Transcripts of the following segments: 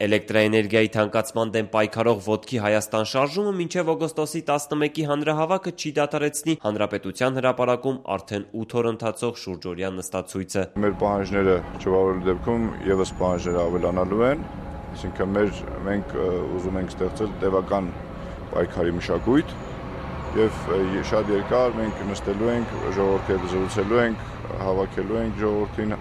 Էլեկտրաէներգիայի թանկացման դեմ պայքարող «Ոտքի Հայաստան» շարժումը մինչև օգոստոսի 11-ի հանրահավաքը չի դադարեցնի Հանրապետության հրապարակում արդեն 8 օր ընթացող շուրջօրյա նստացույցը։ Մեր պահանջները չվավերելու դեպքում ևս պահանջները ավելանալու են, այսինքն մենք ուզում ենք ստեղծել տևական պայքարի մշակույթ եւ շատ երկար մենք նստելու ենք, ժողովրդի հետ զրուցելու ենք, հավաքելու ենք ժողովրդին,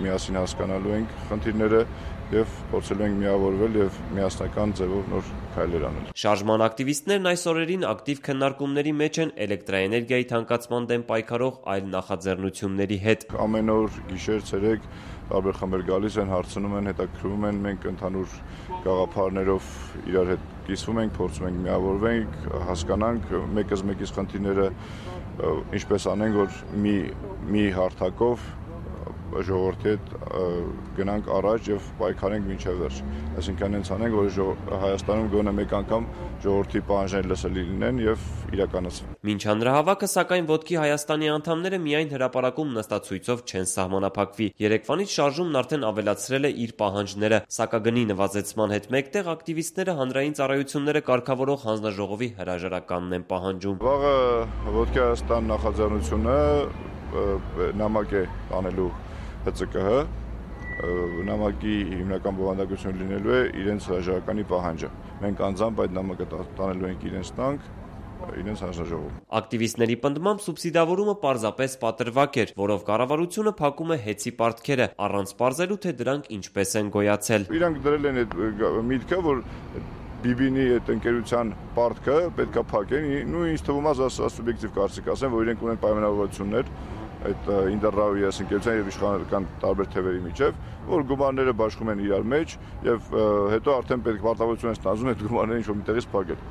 միասին հասկանալու ենք խնդիրները եւ փորձելու ենք միավորվել եւ միասնական ձևով նոր քայլեր անել։ Շարժման ակտիվիստներն այս օրերին ակտիվ քննարկումների մեջ են էլեկտրաէներգիայի թանկացման դեմ պայքարող այլ նախաձեռնությունների հետ։ Ամեն օր գիշեր, ցերեկ տարբեր խմբեր գալիս են, հարցնում են, հետաքրքրվում են, մենք ընդհանուր գաղափարներով իրար հետ կիսվում ենք, փորձում ենք միավորվենք, հասկանանք մեկս մեկից խնդիրները ինչպես անենք, որ մի հարթակով ժողովրդի հետ գնանք առաջ եւ պայքարենք մինչեւ վերջ։ Այսինքն հենց անենք, որ Հայաստանում գոնե մեկ անգամ ժողովրդի պահանջները լսելի լինեն եւ իրականացվեն։ Մինչ հանրահավաքը, սակայն «Ոտքի Հայաստանի» անդամները միայն հրապարակում նստացույցով չեն սահմանափակվի։ Երեկվանից շարժումն արդեն ավելացրել է իր պահանջները։ Սակագնի նվազեցման հետ մեկտեղ ակտիվիստները հանրային ծառայությունները կարգավորող հանձնաժողովի հրաժարականն են պահանջում։ Վաղը «Ոտքի Հայաստան» նախաձեռնությունը նամակ է տանելու ՀԾԿՀ, նամակի հիմնական բովանդակությունը լինելու է իրենց հրաժարականի պահանջը։ Մենք անձամբ այդ նամակը տանելու ենք իրենց տանք, իրենց հանձնաժողով։ Ակտիվիստների պնդմամբ սուբսիդավորումը պարզապես պատրվակ էր, որով կառավարությունը փակում է հեծի պարտքերը, առանց պարզելու, թե դրանք ինչպես են գոյացել։ Իրանք դրել են այդ միտքը, որ BB-ի այդ ընկերության պարտքը պետքա փակեն, ինձ թվում է սուբյեկտիվ կարծիք ասեմ, որ իրենք ունեն պայմանավորվածություններ այդ Ինտերրաուի ընկերության եւ իշխանական տարբեր թևերի միջև, որ գումարները բաշխում են իրար մեջ եւ հետո արդեն պետք պարտավորություն են ստանձնում այդ գումարները ինչ-որ միտեղից փակել։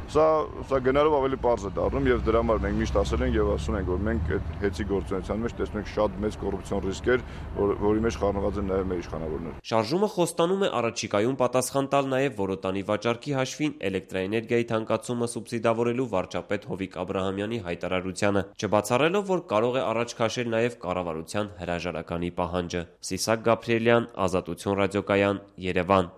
Սա գնալով ավելի պարզ է դառնում եւ դրա համար մենք միշտ ասել ենք եւ ասում ենք, որ մենք այդ հեծի գործունեության մեջ տեսնում ենք շատ մեծ կոռուպցիոն ռիսկեր, որի մեջ խառնված են նաեւ մեր իշխանավորները։ Շարժումը խոստանում է առաջիկայում պատասխան տալ նաեւ Որոտանի վաճառքի հաշվին էլեկտրաէներգիայի թանկացումը սուբսիդավորելու վարչապետ Հովիկ Աբրահամյանի հայտարարությանը, չբացառելով, որ կարող է առաջ քաշել նաեւ կառավարության հրաժարականի պահանջը։ Սիսակ Գաբրիելյան, Ազատություն ռադիոկայան, Երևան։